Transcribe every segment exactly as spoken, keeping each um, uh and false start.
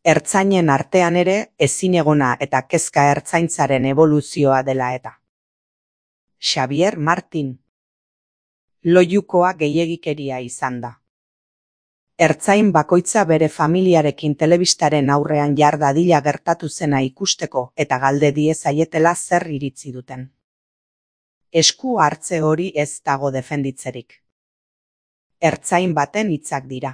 Ertzainen artean ere ezinegona eta kezka ertzaintzaren eboluzioa dela eta. Xabier Martin. Loiukoa gehiegikeria izan da. Ertzain bakoitza bere familiarekin telebistaren aurrean jar dadila gertatu zena ikusteko eta galde diezaietela zer iritzi duten. Esku hartze hori ez dago defenditzerik. Ertzain baten hitzak dira.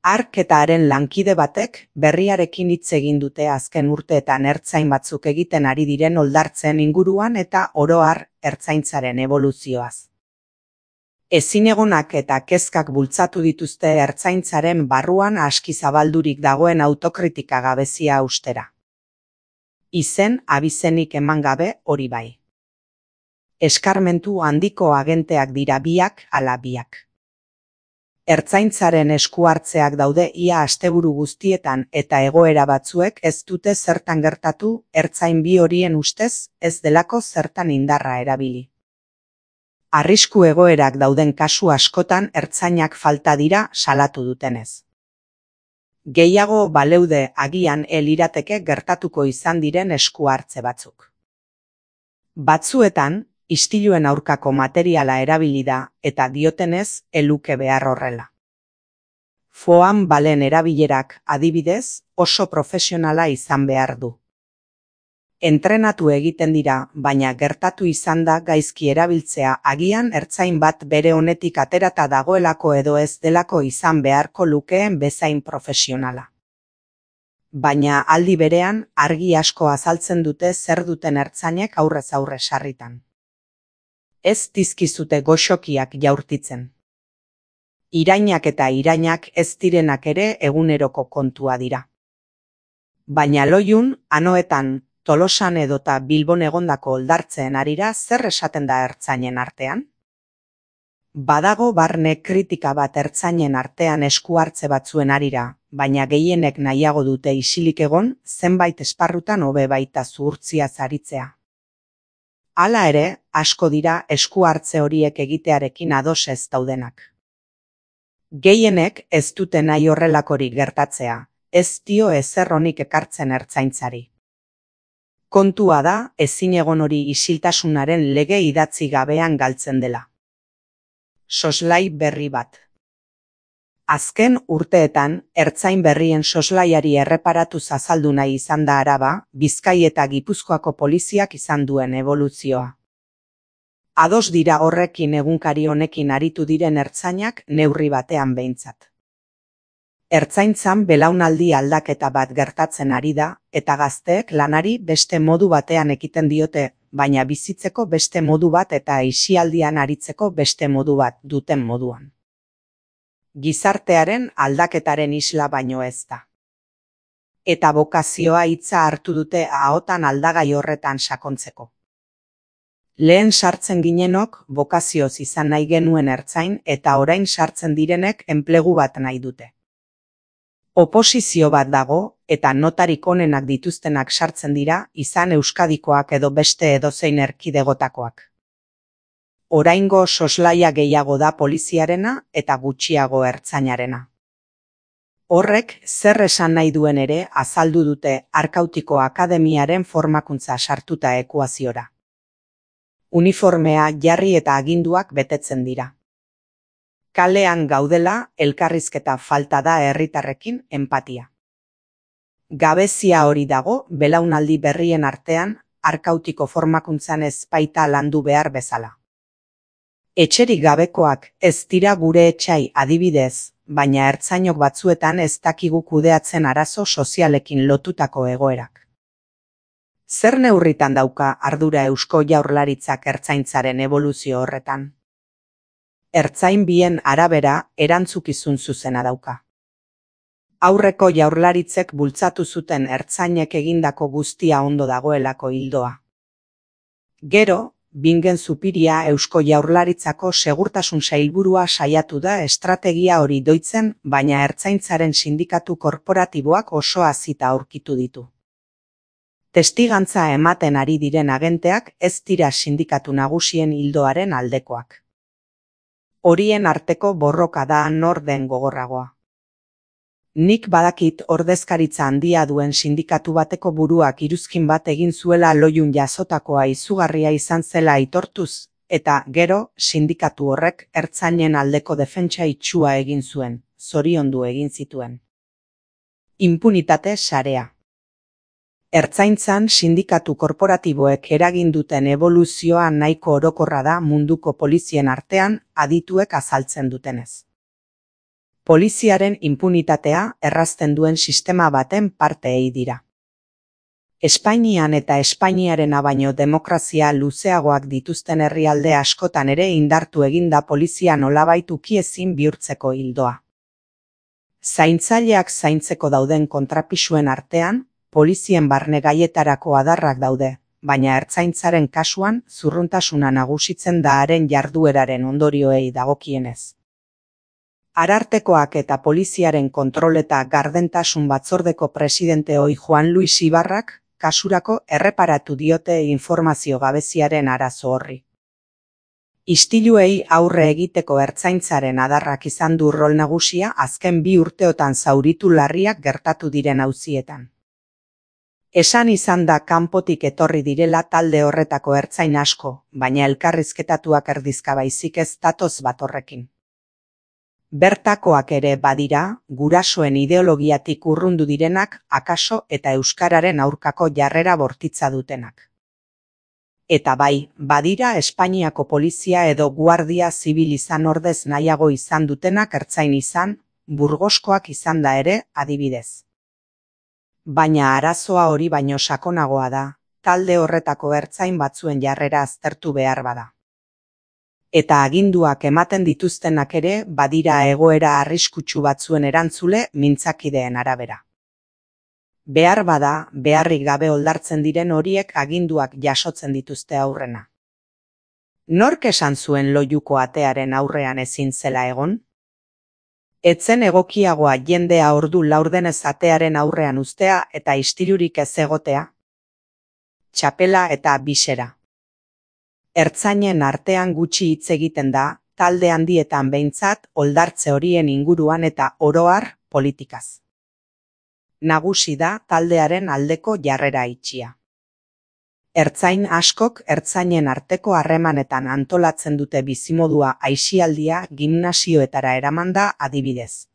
Hark eta haren lankide batek berriarekin hitz egin dute azken urteetan ertzain batzuk egiten ari diren oldartzen inguruan eta oro har ertzaintzaren eboluzioaz. Ezinegonak eta kezkak bultzatu dituzte ertzaintzaren barruan aski zabaldurik dagoen autokritika gabezia ustera. Izen abizenik eman gabe hori bai. Eskarmentu handiko agenteak dira biak ala biak. Ertzaintzaren esku hartzeak daude ia asteburu guztietan eta egoera batzuek ez dute zertan gertatu ertzain bi horien ustez ez delako zertan indarra erabili. Arrisku egoerak dauden kasu askotan ertzainak falta dira salatu dutenez. Gehiago baleude agian elirateke gertatuko izan diren esku hartze batzuk. Batzuetan, istiluen aurkako materiala erabili da eta diotenez eluke behar horrela. Foam balen erabilerak adibidez oso profesionala izan behar du. Entrenatu egiten dira, baina gertatu izan da gaizki erabiltzea agian ertzain bat bere honetik aterata dagoelako edo ez delako izan beharko lukeen bezain profesionala. Baina aldi berean argi asko azaltzen dute zer duten ertzainek aurrez aurre sarritan. Ez dizkizute goxokiak jaurtitzen. Irainak eta irainak ez direnak ere eguneroko kontua dira. Baina Loiun, Anoetan, Tolosan edota Bilbon egondako oldartzeen arira zer esaten da ertzainen artean? Badago barne kritika bat ertzainen artean esku hartze batzuen arira, baina gehienek nahiago dute isilik egon zenbait esparrutan hobe baita zuhurtziaz aritzea. Hala ere, asko dira esku hartze horiek egitearekin ados ez daudenak. Gehienek ez dute nahi horrelakorik gertatzea, ez dio ezer onik ekartzen ertzaintzari. Kontua da, ezinegon hori isiltasunaren lege idatzi gabean galtzen dela. Soslai berri bat. Azken urteetan, ertzain berrien soslaiari erreparatuz azaldu nahi izan da Araba, Bizkai eta Gipuzkoako poliziak izan duen eboluzioa. Ados dira horrekin egunkari honekin aritu diren ertzainak neurri batean behintzat. Ertzaintzan belaunaldi aldaketa bat gertatzen ari da, eta gazteek lanari beste modu batean ekiten diote, baina bizitzeko beste modu bat eta aisialdian aritzeko beste modu bat duten moduan. Gizartearen aldaketaren isla baino ez da. Eta bokazioa hitza hartu dute ahotan aldagai horretan sakontzeko. Lehen sartzen ginenok bokazioz izan nahi genuen ertzain eta orain sartzen direnek enplegu bat nahi dute. Oposizio bat dago eta notarik onenak dituztenak sartzen dira izan Euskadikoak edo beste edozein erkidegotakoak. Oraingo soslaia gehiago da poliziarena eta gutxiago ertzainarena. Horrek zer esan nahi duen ere azaldu dute Arkautiko Akademiaren formakuntza sartuta ekuaziora. Uniformea jarri eta aginduak betetzen dira. Kalean gaudela elkarrizketa falta da herritarrekin enpatia. Gabezia hori dago belaunaldi berrien artean Arkautiko formakuntzan ez baita landu behar bezala. Etxerik gabekoak ez dira gure etxai adibidez, baina ertzainok batzuetan ez dakigu kudeatzen arazo sozialekin lotutako egoerak. Zer neurritan dauka ardura Eusko Jaurlaritzak ertzaintzaren eboluzio horretan? Ertzain bien arabera erantzukizun zuzena dauka. Aurreko jaurlaritzek bultzatu zuten ertzainek egindako guztia ondo dagoelako ildoa. Gero, Bingen Zupiria Eusko Jaurlaritzako segurtasun sailburua saiatu da estrategia hori doitzen, baina ertzaintzaren sindikatu korporatiboak oso hazita aurkitu ditu. Testigantza ematen ari diren agenteak ez dira sindikatu nagusien ildoaren aldekoak. Horien arteko borroka da nor den gogorragoa. Nik badakit ordezkaritza handia duen sindikatu bateko buruak iruzkin bat egin zuela Loiun jasotakoa izugarria izan zela aitortuz, eta gero sindikatu horrek ertzainen aldeko defentsa itsua egin zuen, zoriondu egin zituen. Inpunitate sarea. Ertzaintzan sindikatu korporatiboek eragin duten eboluzioa nahiko orokorra da munduko polizien artean adituek azaltzen dutenez. Poliziaren inpunitatea errazten duen sistema baten parteei dira. Espainian eta Espainiarena baino demokrazia luzeagoak dituzten herrialde askotan ere indartu eginda polizia nolabait ukiezin bihurtzeko ildoa. Zaintzaileak zaintzeko dauden kontrapisuen artean, polizien barne gaietarako adarrak daude, baina ertzaintzaren kasuan zurruntasuna nagusitzen da haren jardueraren ondorioei dagokienez. Arartekoak eta poliziaren kontrol eta gardentasun batzordeko presidente ohi Juan Luis Ibarrak kasurako erreparatu diote informazio gabeziaren arazo horri. Istiluei aurre egiteko ertzaintzaren adarrak izan du rol nagusia azken bi urteotan zauritu larriak gertatu diren auzietan. Esan izan da kanpotik etorri direla talde horretako ertzain asko, baina elkarrizketatuak erdizka baizik ez datoz bat horrekin. Bertakoak ere badira, gurasoen ideologiatik urrundu direnak akaso eta euskararen aurkako jarrera bortitza dutenak. Eta bai, badira Espainiako polizia edo guardia zibil izan ordez nahiago izan dutenak ertzain izan, Burgoskoak izan da ere, adibidez. Baina arazoa hori baino sakonagoa da, talde horretako ertzain batzuen jarrera aztertu behar bada. Eta aginduak ematen dituztenak ere badira egoera arriskutsu batzuen erantzule mintzakideen arabera. Behar bada, beharrik gabe oldartzen diren horiek aginduak jasotzen dituzte aurrena. Nork esan zuen Loiuko atearen aurrean ezin zela egon? Etzen egokiagoa jendea ordu laurdenez atearen aurrean uztea eta istilurik ez egotea? Txapela eta bisera. Ertzainen artean gutxi hitz egiten da, talde handietan behintzat oldartze horien inguruan eta oro har politikaz. Nagusi da taldearen aldeko jarrera itxia. Ertzain askok ertzainen arteko harremanetan antolatzen dute bizimodua aisialdia gimnasioetara eramanda adibidez.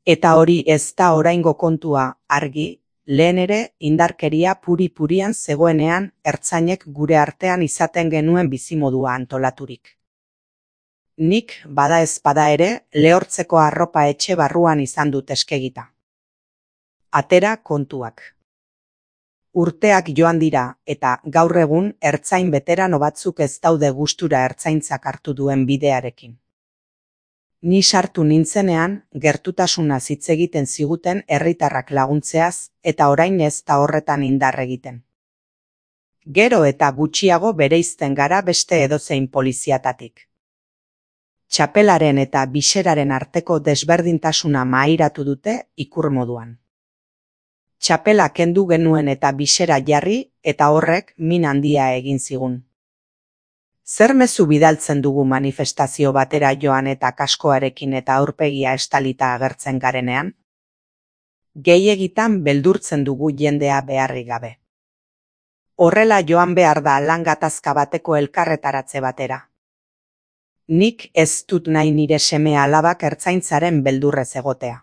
Eta hori ez da oraingo kontua, argi, lehen ere indarkeria puri-purian zegoenean ertzainek gure artean izaten genuen bizimodua antolaturik. Nik bada ez bada ere lehortzeko arropa etxe barruan izan dut eskegita. Atera kontuak. Urteak joan dira eta gaur egun ertzain beterano batzuk ez daude gustura ertzaintzak hartu duen bidearekin. Ni sartu nintzenean gertutasunaz hitz egiten ziguten herritarrak laguntzeaz eta orain ez da horretan indar egiten. Gero eta gutxiago bereizten gara beste edozein poliziatatik. Txapelaren eta biseraren arteko desberdintasuna mahairatu dute ikur moduan. Txapela kendu genuen eta bisera jarri eta horrek min handia egin zigun. Zer mezu bidaltzen dugu manifestazio batera joan eta kaskoarekin eta aurpegia estalita agertzen garenean? Gehiegitan beldurtzen dugu jendea beharrik gabe. Horrela joan behar da lan gatazka bateko elkarretaratze batera. Nik ez dut nahi nire seme alabak ertzaintzaren beldurrez egotea.